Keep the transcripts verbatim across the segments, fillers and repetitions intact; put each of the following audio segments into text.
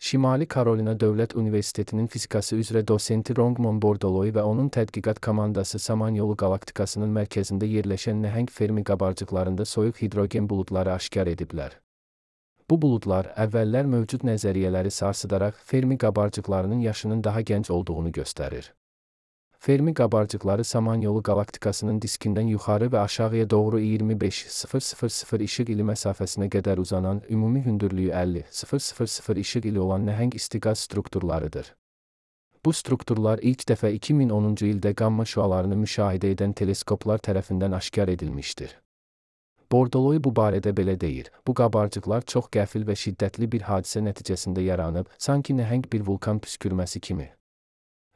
Şimali Karolina Dövlət Universitetinin fizikası üzrə dosenti Rongmon Bordoloy və onun tədqiqat komandası Samanyolu qalaktikasının mərkəzində yerləşən nəhəng Fermi qabarcıqlarında soyuq hidrogen buludları aşkar ediblər. Bu buludlar əvvəllər mövcud nəzəriyyələri sarsıdaraq Fermi qabarcıqlarının yaşının daha gənc olduğunu göstərir. Fermi qabarcıqları Samanyolu qalaktikasının diskindən yuxarı və aşağıya doğru iyirmi beş min işıq ili məsafəsinə qədər uzanan, ümumi hündürlüyü əlli min işıq ili olan nəhəng istiqaz strukturlarıdır. Bu strukturlar ilk dəfə iki min onuncu ildə qamma şüalarını müşahidə edən teleskoplar tərəfindən aşkar edilmişdir. Bordoloy bu barədə belə deyir: Bu qabarcıqlar çox qəfil və şiddətli bir hadisə nəticəsində yaranıb, sanki nəhəng bir vulkan püskürməsi kimi.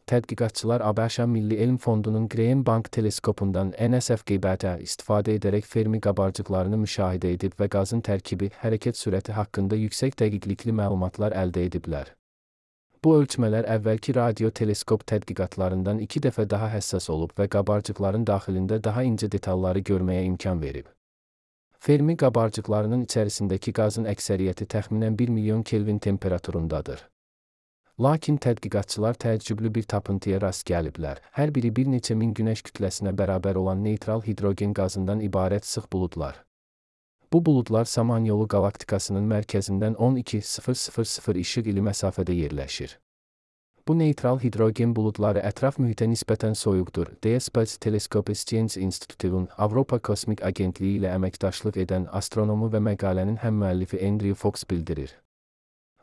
Tədqiqatçılar ABŞ Milli Elm Fondunun Graham Bank teleskopundan N S F qiymətə istifadə edərək Fermi qabarcıqlarını müşahidə edib və qazın tərkibi, hərəkət sürəti haqqında yüksək dəqiqlikli məlumatlar əldə ediblər. Bu ölçmələr əvvəlki radio teleskop tədqiqatlarından iki dəfə daha həssas olub və qabarcıqların daxilində daha incə detalları görməyə imkan verib. Fermi qabarcıqlarının içərisindəki qazın əksəriyyəti təxminən bir milyon Kelvin temperaturundadır. Lakin tədqiqatçılar təəccüblü bir tapıntıya rast gəliblər. Hər biri bir neçə min günəş kütləsinə bərabər olan neytral hidrogen qazından ibarət sıx buludlar. Bu buludlar Samanyolu qalaktikasının mərkəzindən on iki min işıq ili məsafədə yerləşir. Bu neytral hidrogen buludları ətraf mühitə nisbətən soyuqdur, deyə Space Telescope Science Institute-un Avropa Kosmik Agentliyi ilə əməkdaşlıq edən astronomu və məqalənin həmmüəllifi Andrew Fox bildirir.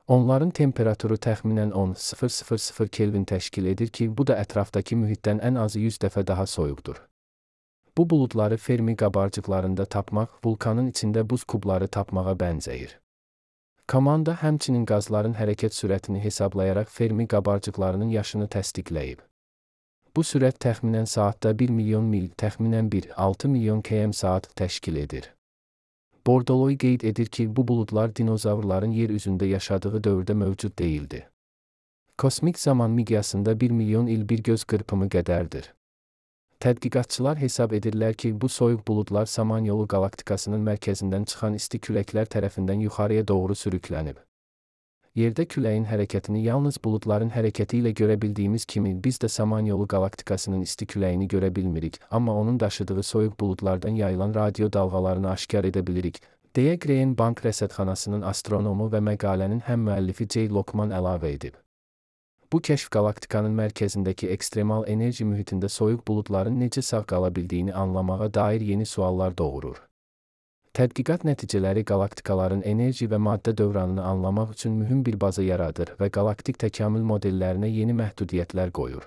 Onların temperaturu təxminən on min Kelvin təşkil edir ki, bu da ətrafdakı mühitdən ən azı yüz dəfə daha soyuqdur. Bu buludları Fermi qabarcıqlarında tapmaq, vulkanın içində buz kubları tapmağa bənzəyir. Komanda həmçinin qazların hərəkət sürətini hesablayaraq Fermi qabarcıqlarının yaşını təsdiqləyib. Bu sürət təxminən saatda bir milyon mil, təxminən bir nöqtə altı milyon kilometr saat təşkil edir. Bordoloy qeyd edir ki, bu buludlar dinozavrların yer üzündə yaşadığı dövrdə mövcud deyildi. Kosmik zaman miqyasında bir milyon il bir göz qırpımı qədərdir. Tədqiqatçılar hesab edirlər ki, bu soyuq buludlar Samanyolu qalaktikasının mərkəzindən çıxan isti küləklər tərəfindən yuxarıya doğru sürüklənib. Yerdə küləyin hərəkətini yalnız buludların hərəkəti ilə görə bildiyimiz kimi, biz də Samanyolu qalaktikasının isti küləyini görə bilmirik, amma onun daşıdığı soyuq buludlardan yayılan radio dalğalarını aşkar edə bilirik, deyə Graham Bank rəsədxanasının astronomu və məqalənin həmmüəllifi Jay Lockman əlavə edib. Bu kəşf qalaktikanın mərkəzindəki ekstremal enerji mühitində soyuq buludların necə sağ qala bildiyini anlamağa dair yeni suallar doğurur. Tədqiqat nəticələri qalaktikaların enerji və maddə dövranını anlamaq üçün mühüm bir baza yaradır və qalaktik təkamül modellərinə yeni məhdudiyyətlər qoyur.